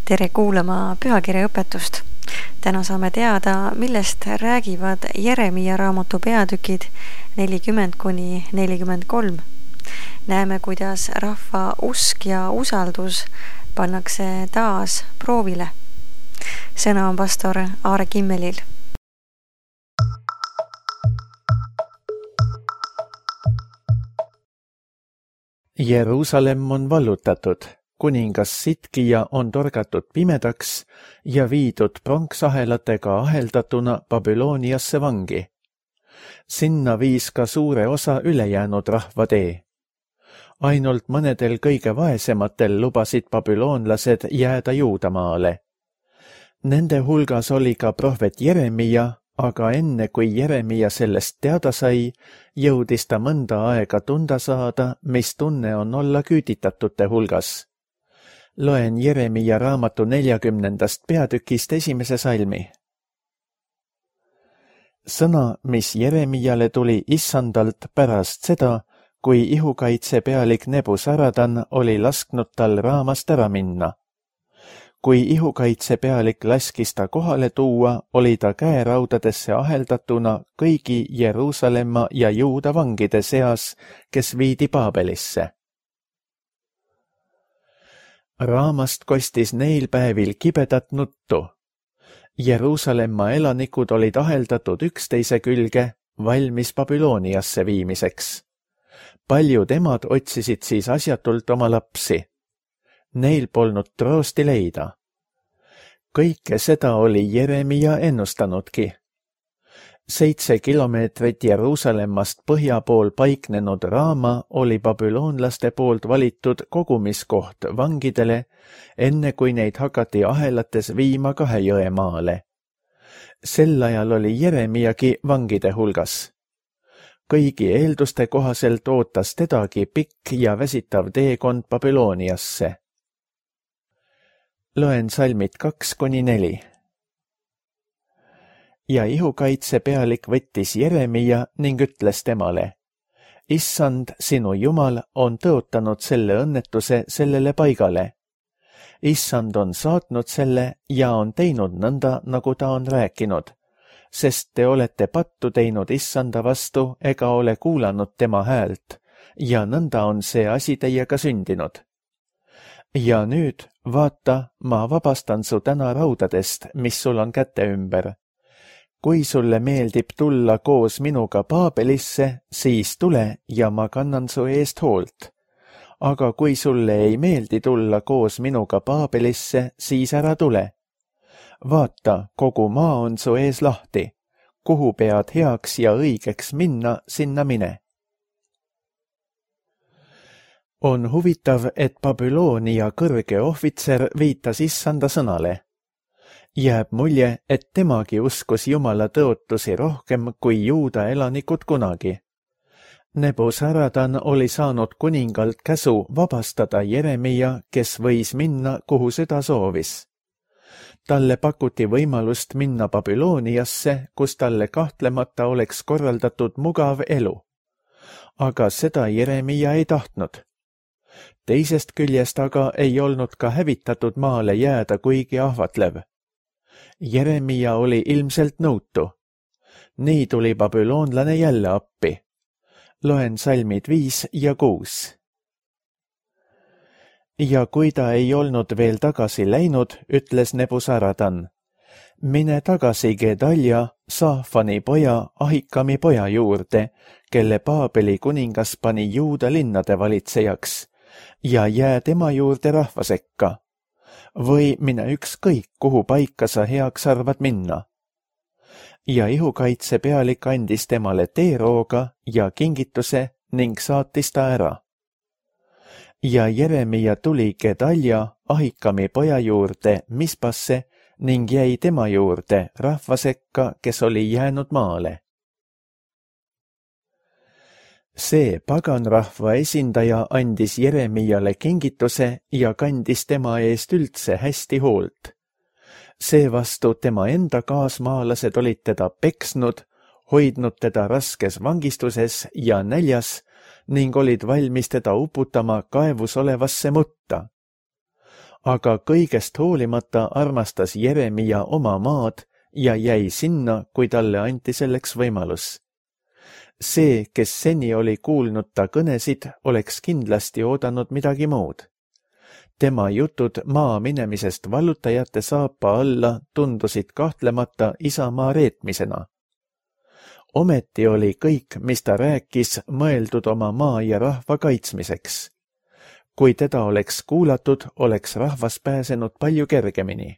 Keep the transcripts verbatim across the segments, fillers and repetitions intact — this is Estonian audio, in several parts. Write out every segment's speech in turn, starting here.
Tere kuulama pühakirja õpetust. Täna saame teada, millest räägivad Jeremia raamatu peatükid nelikümmend kuni nelikümmend kolm. Näeme, kuidas rahva usk ja usaldus pannakse taas proovile. Sõna on pastor Aare Kimmelil. Jeruusalemm on vallutatud. Kuningas Sitkija on torgatud pimedaks ja viidud pronksahelatega aheldatuna Babyloniasse vangi. Sinna viis ka suure osa ülejäänud rahva tee. Ainult mõnedel kõige vaesematel lubasid babüloonlased jääda Juudamaale. Nende hulgas oli ka prohvet Jeremia, aga enne kui Jeremia sellest teada sai, jõudis ta mõnda aega tunda saada, mis tunne on olla küüditatute hulgas. Loen Jeremia raamatu neljakümnendast peatükist esimese salmi. Sõna, mis Jeremiale tuli issandalt pärast seda, kui ihukaitse pealik Nebuzaradan oli lasknud tal raamast ära minna. Kui ihukaitse pealik laskis ta kohale tuua, oli ta käeraudadesse aheldatuna kõigi Jeruusalemma ja Juuda vangide seas, kes viidi Paabelisse. Raamast kostis neil päevil kibedat nuttu. Jeruusalemma elanikud olid aheldatud üksteise külge, valmis Babyloniasse viimiseks. Paljud emad otsisid siis asjatult oma lapsi. Neil polnud troosti leida. Kõike seda oli Jeremia ennustanudki. Seitse kilomeetrit Jeruusalemmast põhja pool paiknenud Raama oli babüloonlaste poolt valitud kogumiskoht vangidele, enne kui neid hakati ahelates viima kahe jõe maale. Sel ajal oli Jeremiagi vangide hulgas. Kõigi eelduste kohaselt ootas tedagi pikk ja väsitav teekond Babyloniasse. Loen salmid kaks kuni neli. Ja ihukaitse pealik võttis Jeremia ning ütles temale: Issand, sinu Jumal on tõotanud selle õnnetuse sellele paigale. Issand on saatnud selle ja on teinud nõnda, nagu ta on rääkinud, sest te olete pattu teinud Issanda vastu ega ole kuulanud tema häält ja nõnda on see asi teiega sündinud. Ja nüüd, vaata, ma vabastan su täna raudadest, mis sul on käte ümber. Kui sulle meeldib tulla koos minuga Paabelisse, siis tule ja ma kannan su eest hoolt. Aga kui sulle ei meeldi tulla koos minuga Paabelisse, siis ära tule. Vaata, kogu maa on su ees lahti. Kuhu pead heaks ja õigeks minna, sinna mine. On huvitav, et Babyloonia kõrge ohvitser viitas issanda sõnale. Jääb mulje, et temagi uskus Jumala tõotusi rohkem kui Juuda elanikud kunagi. Nebuzaradan oli saanud kuningalt käsu vabastada Jeremia, kes võis minna, kuhu süda soovis. Talle pakuti võimalust minna Babyloniasse, kus talle kahtlemata oleks korraldatud mugav elu. Aga seda Jeremia ei tahtnud. Teisest küljest aga ei olnud ka hävitatud maale jääda kuigi ahvatlev. Jeremia oli ilmselt nõutu. Nii tuli babüloonlane jälle appi. Loen salmid viis ja kuus. Ja kui ta ei olnud veel tagasi läinud, ütles Nebuzaradan: Mine tagasi Gedalja, Saafani poja, Ahikami poja juurde, kelle Paabeli kuningas pani Juuda linnade valitsejaks, ja jää tema juurde rahva sekka. Või mine ükskõik, kuhu paika sa heaks arvad minna. Ja ihukaitse pealik andis temale teerooga ja kingituse ning saatis ta ära. Ja Jeremia tuli Gedalja, Ahikami poja juurde Mispasse ning jäi tema juurde rahva sekka, kes oli jäänud maale. See paganrahva esindaja andis Jeremiale kingituse ja kandis tema eest üldse hästi hoolt. Seevastu tema enda kaasmaalased olid teda peksnud, hoidnud teda raskes vangistuses ja näljas ning olid valmis teda uputama kaevus olevasse mutta. aga kõigest hoolimata armastas Jeremia oma maad ja jäi sinna, kui talle anti selleks võimalus. See, kes seni oli kuulnud ta kõnesid, oleks kindlasti oodanud midagi muud. Tema jutud maa minemisest vallutajate saapa alla tundusid kahtlemata isamaa reetmisena. Ometi oli kõik, mis ta rääkis, mõeldud oma maa ja rahva kaitsmiseks. Kui teda oleks kuulatud, oleks rahvas pääsenud palju kergemini.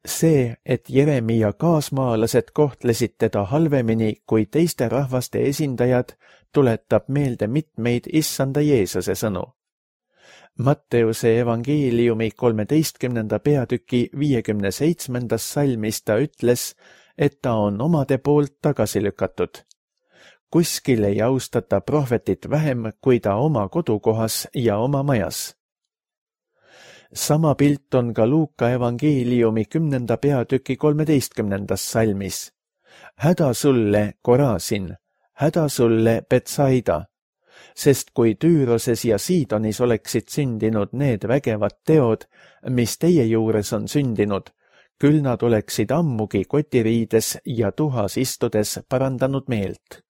See, et Jeremia kaasmaalased kohtlesid teda halvemini kui teiste rahvaste esindajad, tuletab meelde mitmeid issanda Jeesuse sõnu. Matteuse evangeeliumi kolmeteistkümnenda peatüki viiekümne seitsmendas salmis ta ütles, et ta on omade poolt tagasi lükatud. Kuskil ei austata prohvetit vähem kui ta oma kodukohas ja oma majas. Sama pilt on ka Luuka evangeeliumi kümnenda peatüki kolmeteistkümnendas salmis. Häda sulle, Korasin, häda sulle, Betsaida, sest kui Tüüroses ja Siidonis oleksid sündinud need vägevad teod, mis teie juures on sündinud, küll nad oleksid ammugi kotiriides ja tuhas istudes parandanud meelt.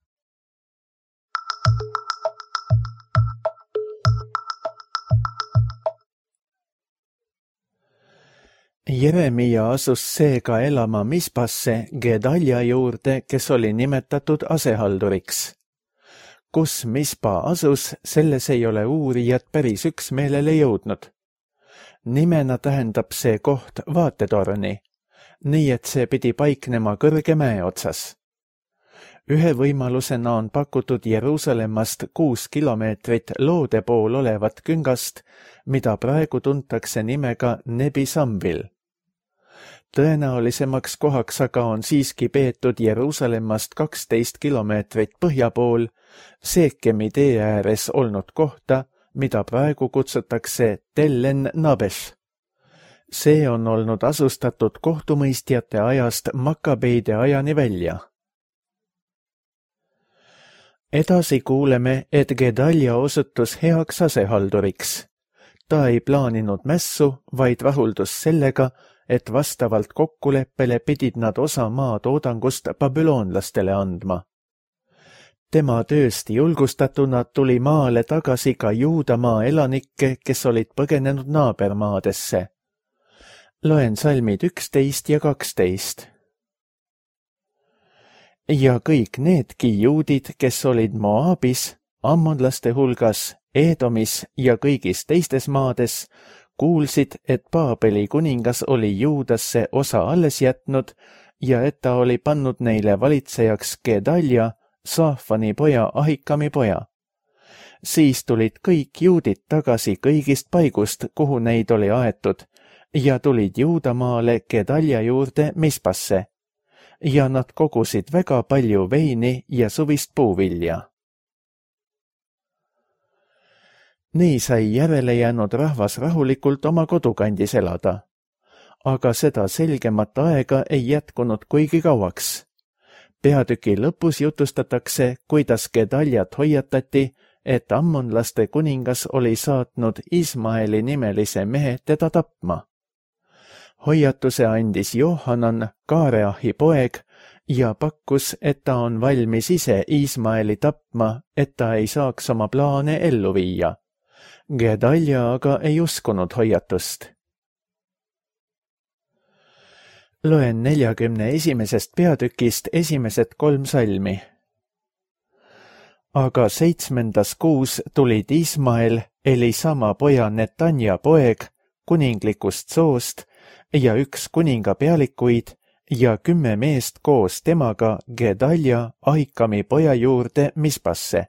Jeremia asus seega elama Mispasse Gedalja juurde, kes oli nimetatud asehalduriks. Kus Mispa asus, selles ei ole uurijad päris üksmeelele jõudnud. Nimena tähendab see koht vaatetorni, nii et see pidi paiknema kõrge mäe otsas. Ühe võimalusena on pakutud Jeruusalemmast kuus kilomeetrit loode pool olevat küngast, mida praegu tuntakse nimega Nebi Samvil. Tõenäolisemaks kohaks aga on siiski peetud Jeruusalemmast kaksteist kilomeetrit põhja pool, Seekemi tee ääres olnud kohta, mida praegu kutsutakse Tellen Nabes. See on olnud asustatud kohtumõistjate ajast Makabeide ajani välja. Edasi kuuleme, et Gedalja osutus heaks asehalduriks. Ta ei plaaninud mässu, vaid rahuldus sellega, et vastavalt kokkuleppele pidid nad osa maa toodangust babüloonlastele andma. Tema tööst julgustatuna tuli maale tagasi ka Juudamaa elanikke, kes olid põgenenud naabermaadesse. Loen salmid üksteist ja kaksteist. Ja kõik needki juudid, kes olid Moabis, ammonlaste hulgas, Eedomis ja kõigis teistes maades, kuulsid, et Paabeli kuningas oli Juudasse osa alles jätnud ja et ta oli pannud neile valitsejaks Gedalja, Saafani poja, Ahikami poja. Siis tulid kõik juudid tagasi kõigist paigust, kuhu neid oli aetud, ja tulid Juudamaale Gedalja juurde Mispasse, ja nad kogusid väga palju veini ja suvist puuvilja. Nii sai järele jäänud rahvas rahulikult oma kodukandis elada, aga seda selgemat aega ei jätkunud kuigi kauaks. Peatüki lõpus jutustatakse, kuidas Gedaljat hoiatati, et ammonlaste kuningas oli saatnud Ismaeli nimelise mehe teda tapma. Hoiatuse andis Johanan, Kaareahi poeg, ja pakkus, et ta on valmis ise Ismaeli tapma, et ta ei saaks oma plaane ellu viia. Gedalja aga ei uskunud hoiatust. Loen neljakümne esimesest peatükist esimesed kolm salmi. Aga seitsmendas kuus tulid Ismael, Elisama poja Netanja poeg, kuninglikust soost ja üks kuninga pealikuid ja kümme meest koos temaga Gedalja, Ahikami poja juurde Mispasse.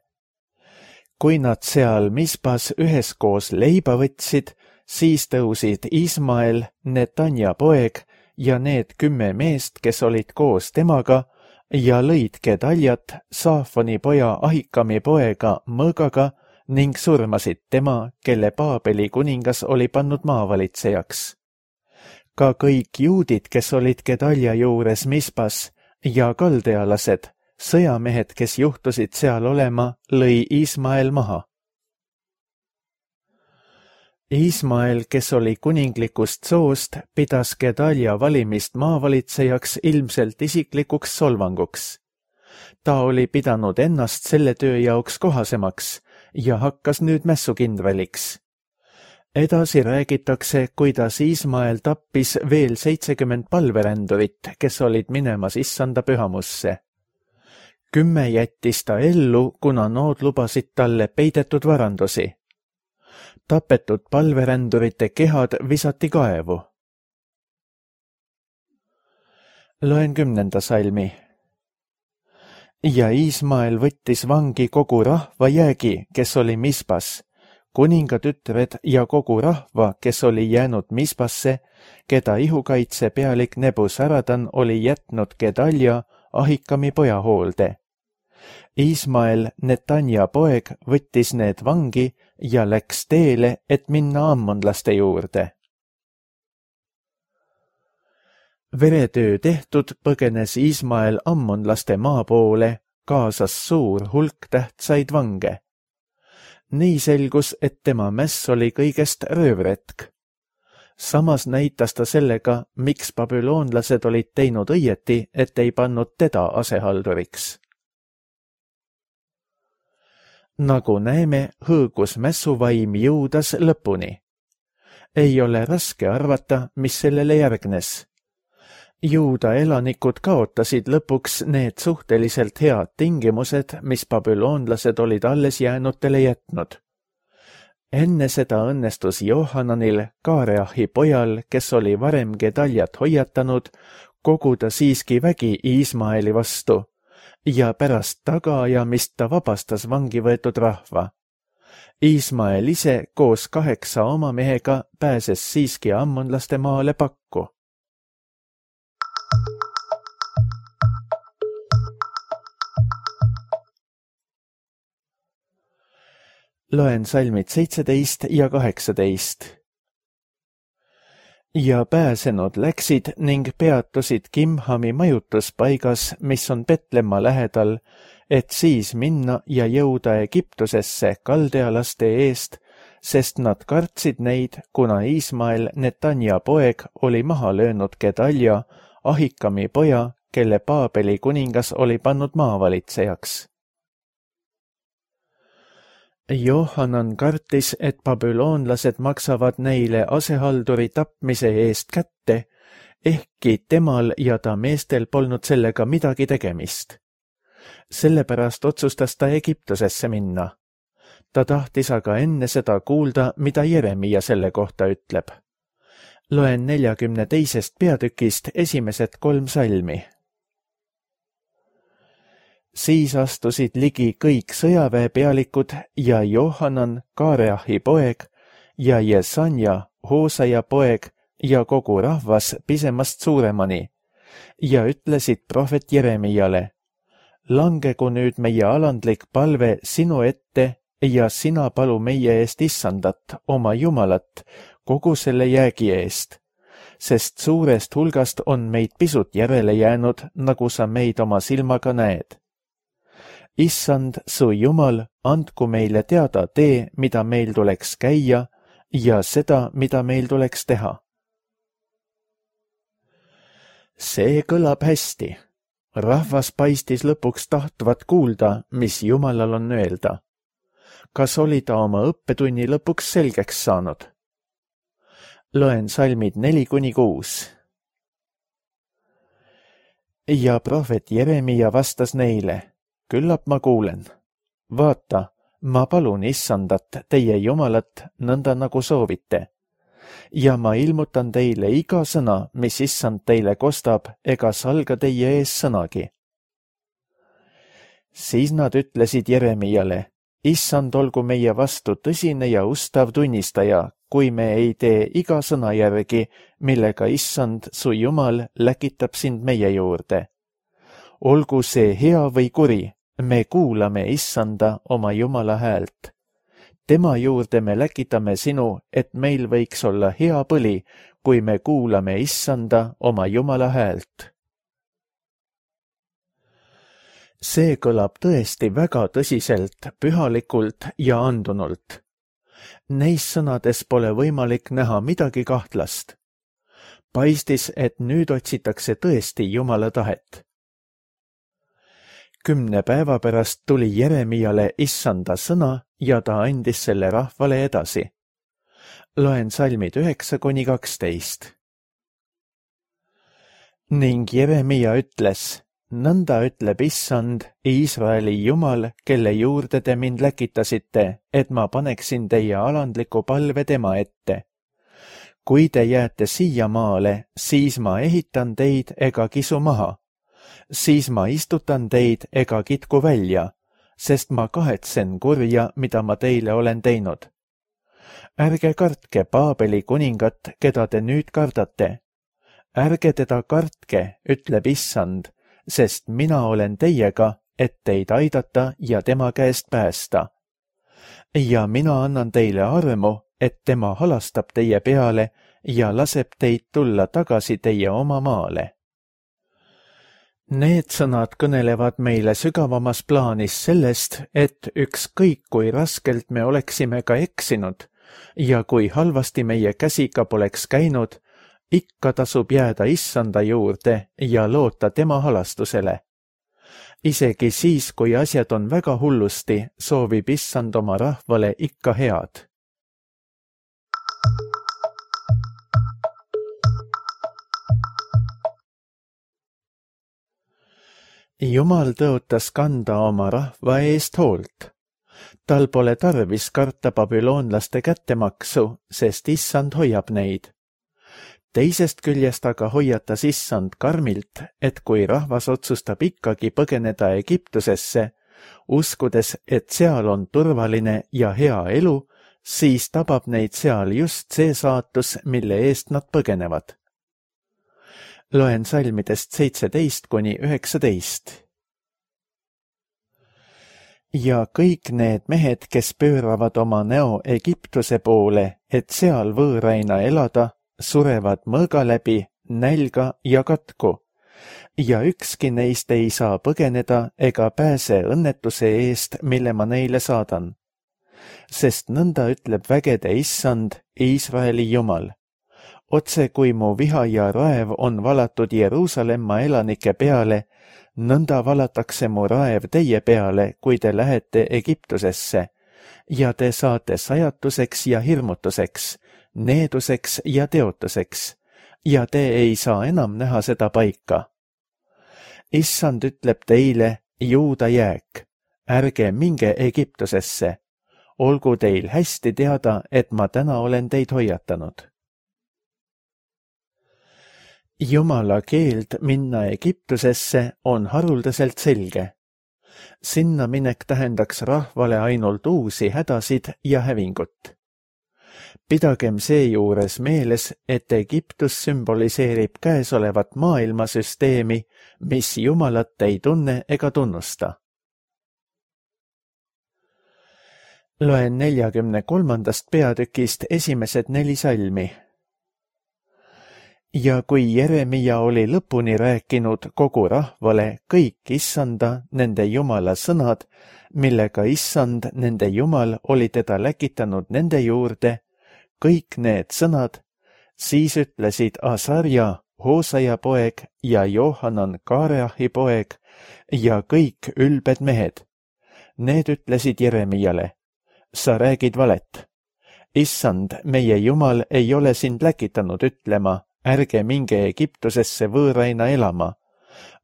Kui nad seal Mispas üheskoos leiba võtsid, siis tõusid Ismael, Netanja poeg ja need kümme meest, kes olid koos temaga, ja lõid Gedaljat, Saafani poja Ahikami poega mõõgaga ning surmasid tema, kelle Paabeli kuningas oli pannud maavalitsejaks. Ka kõik juudid, kes olid Gedalja juures Mispas, ja kaldealased, sõjamehed, kes juhtusid seal olema, lõi Ismael maha. Ismael, kes oli kuninglikust soost, pidas Gedalja valimist maavalitsejaks ilmselt isiklikuks solvanguks. Ta oli pidanud ennast selle töö jaoks kohasemaks ja hakkas nüüd mässukindraliks. Edasi räägitakse, kuidas Ismael tappis veel seitsekümmend palverändurit, kes olid minemas issanda pühamusse. Kümme jättis ta ellu, kuna nood lubasid talle peidetud varandusi. Tapetud palverändurite kehad visati kaevu. Loen kümnenda salmi. Ja Ismael võttis vangi kogu rahva jäägi, kes oli Mispas, kuningatütred ja kogu rahva, kes oli jäänud Mispasse, keda ihukaitse pealik Nebuzaradan oli jätnud Gedalja, Ahikami poja hoolde. Ismael, Netanja poeg, võttis need vangi ja läks teele, et minna ammonlaste juurde. Veretöö tehtud põgenes Ismael ammonlaste maa poole, kaasas suur hulk tähtsaid vange. Nii selgus, et tema mäss oli kõigest röövretk. Samas näitas ta sellega, miks babüloonlased olid teinud õieti, et ei pannud teda asehalduriks. Nagu näeme, hõõgus mässuvaim jõudas lõpuni. Ei ole raske arvata, mis sellele järgnes. Juuda elanikud kaotasid lõpuks need suhteliselt head tingimused, mis babüloonlased olid alles jäänutele jätnud. Enne seda õnnestus Johananil, Kaareahi pojal, kes oli varem Gedaljat hoiatanud, koguda siiski vägi Ismaeli vastu ja pärast tagaajamist ta vabastas vangi võetud rahva. Ismael ise koos kaheksa oma mehega pääses siiski ammonlaste maale pakku. Loen salmid seitseteist ja kaheksateist. Ja pääsenud läksid ning peatusid Kimhami majutuspaigas, mis on Petlemma lähedal, et siis minna ja jõuda Egiptusesse kaldealaste eest, sest nad kartsid neid, kuna Ismael, Netanja poeg, oli maha löönud Gedalja, Ahikami poja, kelle Paabeli kuningas oli pannud maavalitsejaks. Johanan kartis, et babüloonlased maksavad neile asehalduri tapmise eest kätte, ehkki temal ja ta meestel polnud sellega midagi tegemist. Sellepärast otsustas ta Egiptusesse minna. Ta tahtis aga enne seda kuulda, mida Jeremia selle kohta ütleb. Loen neljakümne teisest peatükist esimesed kolm salmi. Siis astusid ligi kõik sõjaväepealikud ja Johanan, Kaareahi poeg, ja Jesanja, Hoosaja poeg ja kogu rahvas pisemast suuremani ja ütlesid prohvet Jeremiale: langegu nüüd meie alandlik palve sinu ette ja sina palu meie eest issandat, oma Jumalat, kogu selle jäägi eest, sest suurest hulgast on meid pisut järele jäänud, nagu sa meid oma silmaga näed. Issand, su Jumal, andku meile teada tee, mida meil tuleks käia ja seda, mida meil tuleks teha. See kõlab hästi. Rahvas paistis lõpuks tahtvat kuulda, mis Jumalal on öelda. Kas oli ta oma õppetunni lõpuks selgeks saanud? Loen salmid neli kuni kuus. Ja prohvet Jeremia vastas neile: küllap ma kuulen. Vaata, ma palun issandat, teie Jumalat, nõnda nagu soovite. Ja ma ilmutan teile iga sõna, mis issand teile kostab, ega salga teie ees sõnagi. Siis nad ütlesid Jeremiale: issand olgu meie vastu tõsine ja ustav tunnistaja, kui me ei tee iga sõna järgi, millega issand, su Jumal, läkitab sind meie juurde. Olgu see hea või kuri, me kuulame issanda oma Jumala häält. Tema juurde me läkitame sinu, et meil võiks olla hea põli, kui me kuulame issanda oma Jumala häält. See kõlab tõesti väga tõsiselt, pühalikult ja andunult. Neis sõnades pole võimalik näha midagi kahtlast. Paistis, et nüüd otsitakse tõesti Jumala tahet. Kümne päeva pärast tuli Jeremiale issanda sõna ja ta andis selle rahvale edasi. Loen salmid üheksa kuni kaksteist. Ning Jeremia ütles, nõnda ütleb issand, Iisraeli Jumal, kelle juurde te mind läkitasite, et ma paneksin teie alandliku palve tema ette. Kui te jääte siia maale, siis ma ehitan teid ega kisu maha. Siis ma istutan teid ega kitku välja, sest ma kahetsen kurja, mida ma teile olen teinud. Ärge kartke Paabeli kuningat, keda te nüüd kardate. Ärge teda kartke, ütleb issand, sest mina olen teiega, et teid aidata ja tema käest päästa. Ja mina annan teile armu, et tema halastab teie peale ja laseb teid tulla tagasi teie oma maale. Need sõnad kõnelevad meile sügavamas plaanis sellest, et ükskõik kui raskelt me oleksime ka eksinud ja kui halvasti meie käsiga poleks käinud, ikka tasub jääda issanda juurde ja loota tema halastusele. Isegi siis, kui asjad on väga hullusti, soovib issand oma rahvale ikka head. Jumal tõotas kanda oma rahva eest hoolt. Tal pole tarvis karta babüloonlaste kättemaksu, sest issand hoiab neid. Teisest küljest aga hoiatas issand karmilt, et kui rahvas otsustab ikkagi põgeneda Egiptusesse, uskudes, et seal on turvaline ja hea elu, siis tabab neid seal just see saatus, mille eest nad põgenevad. Loen salmidest seitseteist kuni üheksateist. Ja kõik need mehed, kes pööravad oma näo Egiptuse poole, et seal võõraina elada, surevad mõõga läbi, nälga ja katku, ja ükski neist ei saa põgeneda ega pääse õnnetuse eest, mille ma neile saadan. Sest nõnda ütleb vägede issand, Iisraeli Jumal. Otse kui mu viha ja raev on valatud Jeruusalemma elanike peale, nõnda valatakse mu raev teie peale, kui te lähete Egiptusesse, ja te saate sajatuseks ja hirmutuseks, needuseks ja teotuseks, ja te ei saa enam näha seda paika. Issand ütleb teile, Juuda jääk, ärge minge Egiptusesse, olgu teil hästi teada, et ma täna olen teid hoiatanud. Jumala keeld minna Egiptusesse on haruldaselt selge. Sinna minek tähendaks rahvale ainult uusi hädasid ja hävingut. Pidagem seejuures meeles, et Egiptus sümboliseerib käesolevat maailmasüsteemi, mis Jumalat ei tunne ega tunnusta. Loen neljakümne kolmandast peatükist esimesed neli salmi. Ja kui Jeremia oli lõpuni rääkinud kogu rahvale kõik issanda, nende Jumala sõnad, millega issand, nende Jumal, oli teda läkitanud nende juurde, kõik need sõnad, siis ütlesid Asarja, Hoosaja poeg ja Johanan Kaareahi poeg ja kõik ülbed mehed. Need ütlesid Jeremiale, sa räägid valet. Issand, meie Jumal ei ole sind läkitanud ütlema, ärge minge Egiptusesse võõraina elama,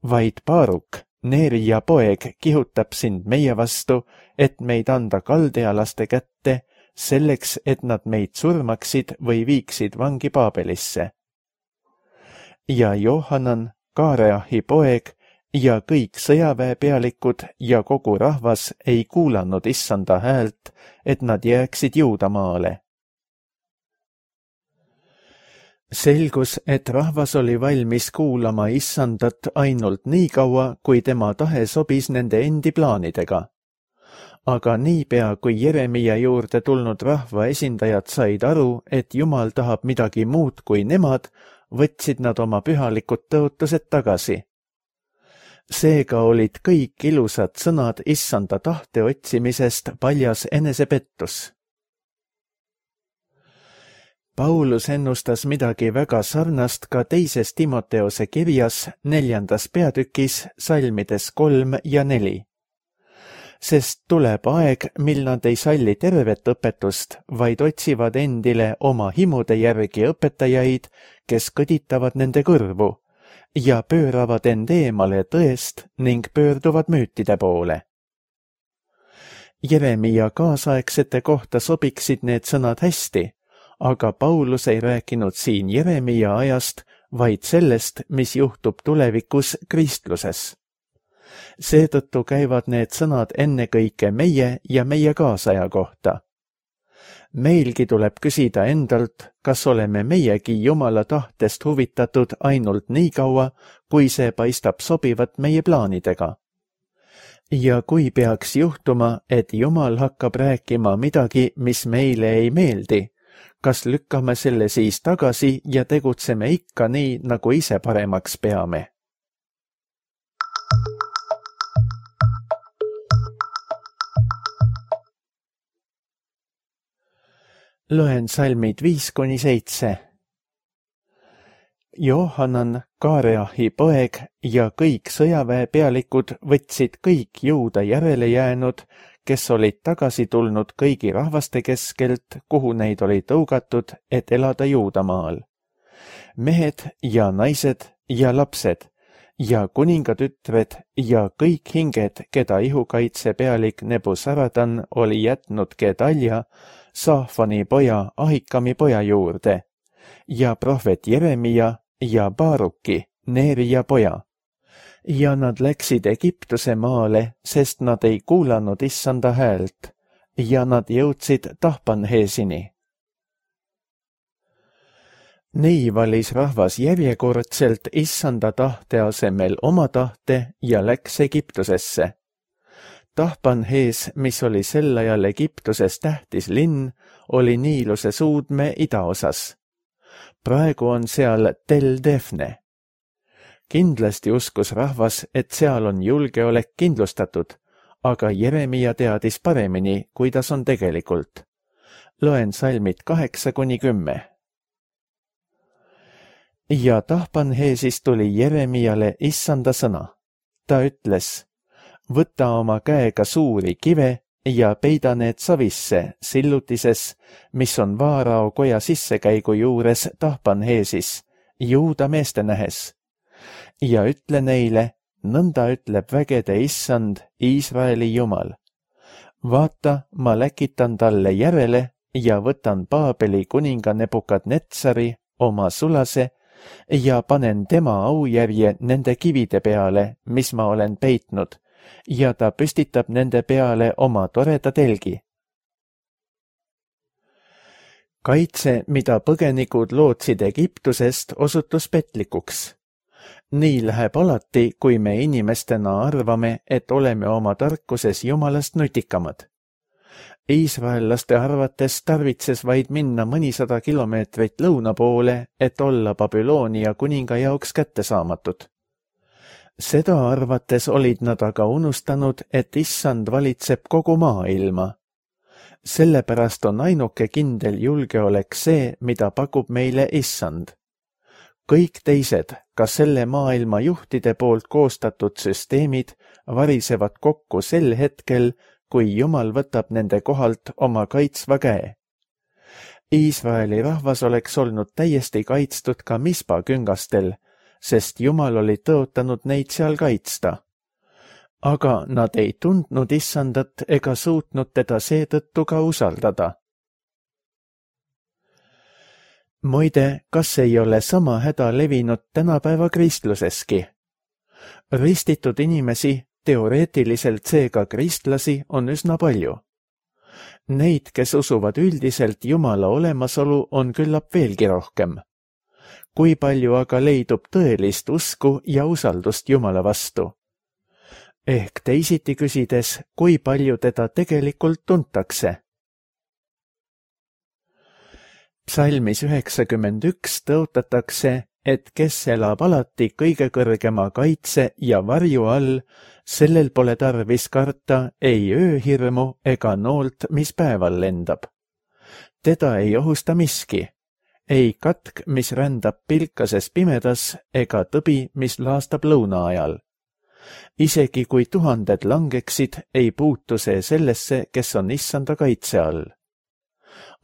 vaid Baaruk, Neerija poeg, kihutab sind meie vastu, et meid anda kaldealaste kätte, selleks, et nad meid surmaksid või viiksid vangi Paabelisse. Ja Johanan, Kaareahi poeg ja kõik sõjaväepealikud ja kogu rahvas ei kuulanud issanda häält, et nad jääksid Juudamaale. Selgus, et rahvas oli valmis kuulama issandat ainult nii kaua, kui tema tahe sobis nende endi plaanidega. Aga niipea, kui Jeremia juurde tulnud rahva esindajad said aru, et Jumal tahab midagi muud kui nemad, võtsid nad oma pühalikud tõotused tagasi. Seega olid kõik ilusad sõnad issanda tahte otsimisest paljas enesepettus. Paulus ennustas midagi väga sarnast ka teises Timoteose kirjas neljandas peatükis salmides kolm ja neli. Sest tuleb aeg, mil nad ei salli tervet õpetust, vaid otsivad endile oma himude järgi õpetajaid, kes kõditavad nende kõrvu ja pööravad end eemale tõest ning pöörduvad müütide poole. Jeremia kaasaegsete kohta sobiksid need sõnad hästi, aga Paulus ei rääkinud siin Jeremia ajast, vaid sellest, mis juhtub tulevikus kristluses. Seetõttu käivad need sõnad ennekõike meie ja meie kaasaja kohta. Meilgi tuleb küsida endalt, kas oleme meiegi Jumala tahtest huvitatud ainult nii kaua, kui see paistab sobivat meie plaanidega. Ja kui peaks juhtuma, et Jumal hakkab rääkima midagi, mis meile ei meeldi, kas lükkame selle siis tagasi ja tegutseme ikka nii, nagu ise paremaks peame? Loen salmid viis kuni seitse. Johanan, Kaareahi poeg ja kõik sõjaväepealikud võtsid kõik Juuda järele jäänud, kes olid tagasi tulnud kõigi rahvaste keskelt, kuhu neid oli tõugatud, et elada Juudamaal. Mehed ja naised ja lapsed ja kuningatütred ja kõik hinged, keda ihukaitse pealik Nebuzaradan oli jätnud Gedalja, Saafani poja Ahikami poja juurde ja prohvet Jeremia ja Baruki, Neeria poja. Ja nad läksid Egiptuse maale, sest nad ei kuulanud issanda häält ja nad jõudsid Tahpanheesini. Nii valis rahvas järjekordselt issanda tahte asemel oma tahte ja läks Egiptusesse. Tahpanhees, mis oli sel ajal Egiptuses tähtis linn, oli Niiluse suudme idaosas. Praegu on seal Tel Defne. Kindlasti uskus rahvas, et seal on julgeolek kindlustatud, aga Jeremia teadis paremini, kuidas on tegelikult. Loen salmid kaheksa kuni kümme. Ja Tahpanheesis tuli Jeremiale issanda sõna. Ta ütles, võta oma käega suuri kive ja peida need savisse sillutises, mis on Vaarao koja sissekäigu juures Tahpanheesis, Juuda meeste nähes. Ja ütle neile, nõnda ütleb vägede issand, Iisraeli Jumal. Vaata, ma läkitan talle järele ja võtan Paabeli kuninga Nebukadnetsari, oma sulase, ja panen tema aujärje nende kivide peale, mis ma olen peitnud, ja ta püstitab nende peale oma toreda telgi. Kaitse, mida põgenikud lootsid Egiptusest, osutus petlikuks. Nii läheb alati, kui me inimestena arvame, et oleme oma tarkuses Jumalast nutikamad. Iisraellaste arvates tarvitses vaid minna mõnisada kilomeetrit lõuna poole, et olla Babyloonia kuninga jaoks kättesaamatud. Seda arvates olid nad aga unustanud, et issand valitseb kogu maailma. Sellepärast on ainuke kindel julgeolek see, mida pakub meile issand. Kõik teised, ka selle maailma juhtide poolt koostatud süsteemid, varisevad kokku sel hetkel, kui Jumal võtab nende kohalt oma kaitsva käe. Iisraeli rahvas oleks olnud täiesti kaitstud ka Mispa küngastel, sest Jumal oli tõotanud neid seal kaitsta. Aga nad ei tundnud issandat ega suutnud teda seetõttu ka usaldada. Muide, kas ei ole sama häda levinud tänapäeva kristluseski? Ristitud inimesi, teoreetiliselt seega kristlasi, on üsna palju. Neid, kes usuvad üldiselt Jumala olemasolu, on küllap veelgi rohkem. Kui palju aga leidub tõelist usku ja usaldust Jumala vastu? Ehk teisiti küsides, kui palju teda tegelikult tuntakse? Psalmis üheksakümmend üks tõotatakse, et kes elab alati kõige kõrgema kaitse ja varju all, sellel pole tarvis karta ei ööhirmu ega noolt, mis päeval lendab. Teda ei ohusta miski, ei katk, mis rändab pilkases pimedas, ega tõbi, mis laastab lõuna ajal. Isegi kui tuhanded langeksid, ei puutu see sellesse, kes on issanda kaitse all.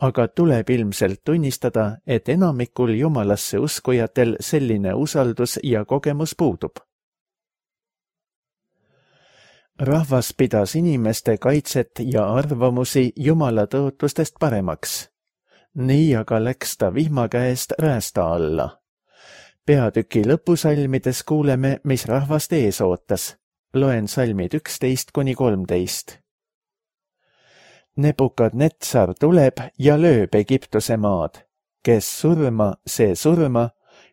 Aga tuleb ilmselt tunnistada, et enamikul jumalasse uskujatel selline usaldus ja kogemus puudub. Rahvas pidas inimeste kaitset ja arvamusi jumala tõotustest paremaks. Nii aga läks ta vihma käest räästa alla. Peatüki lõpusalmides kuuleme, mis rahvast ees ootas. Loen salmid üksteist kuni kolmteist. Nebukadnetsar tuleb ja lööb Egiptuse maad. Kes surma, see surma,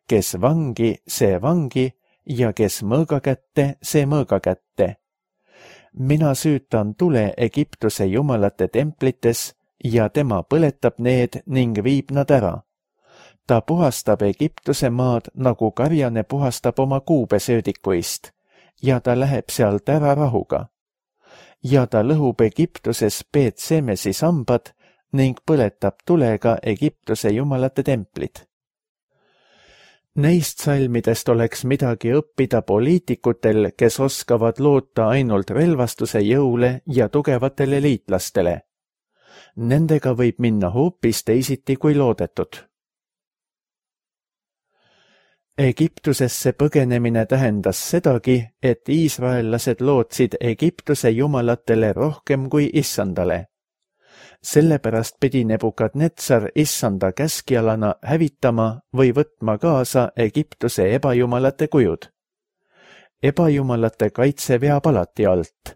kes vangi, see vangi ja kes mõõga kätte, see mõõga kätte. Mina süütan tule Egiptuse jumalate templites ja tema põletab need ning viib nad ära. Ta puhastab Egiptuse maad, nagu karjane puhastab oma kuubesöödikuist ja ta läheb sealt ära rahuga. Ja ta lõhub Egiptuses Peetsemesi sambad ning põletab tulega Egiptuse jumalate templid. Neist salmidest oleks midagi õppida poliitikutel, kes oskavad loota ainult relvastuse jõule ja tugevatele liitlastele. Nendega võib minna hoopis teisiti kui loodetud. Egiptusesse põgenemine tähendas sedagi, et iisraellased lootsid Egiptuse jumalatele rohkem kui issandale. Sellepärast pidi Nebukadnetsar issanda käskjalana hävitama või võtma kaasa Egiptuse ebajumalate kujud. Ebajumalate kaitse veab alati alt.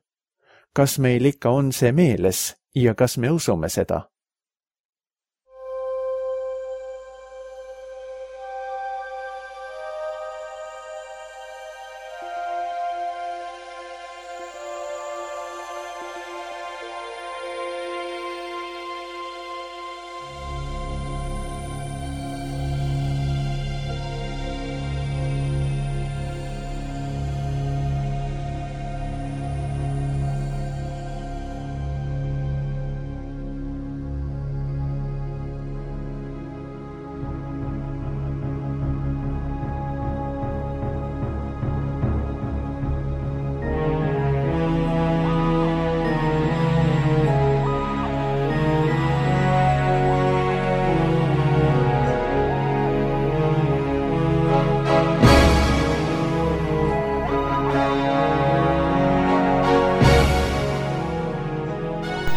Kas meil ikka on see meeles ja kas me usume seda?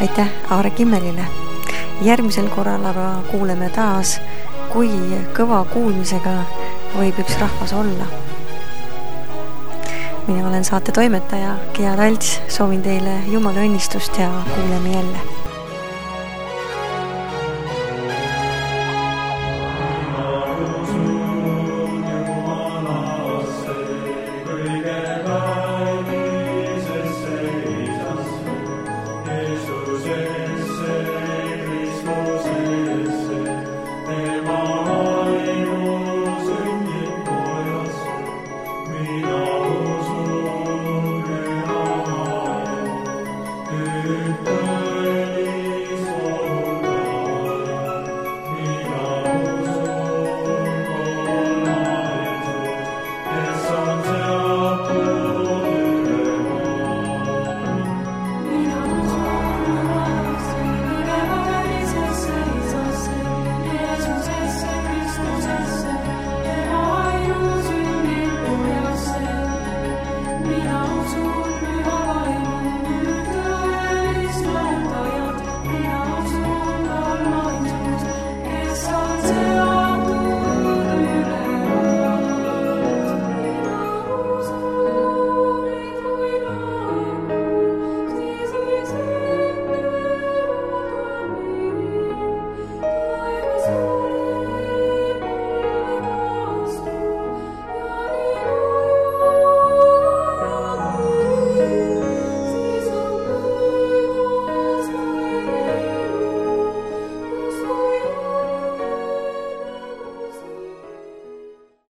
Aitäh Aare Kimmelile. Järgmisel korral aga kuuleme taas, kui kõva kuulmisega võib üks rahvas olla. Mina olen saate toimetaja Gea Talts, soovin teile jumala õnnistust ja kuuleme jälle.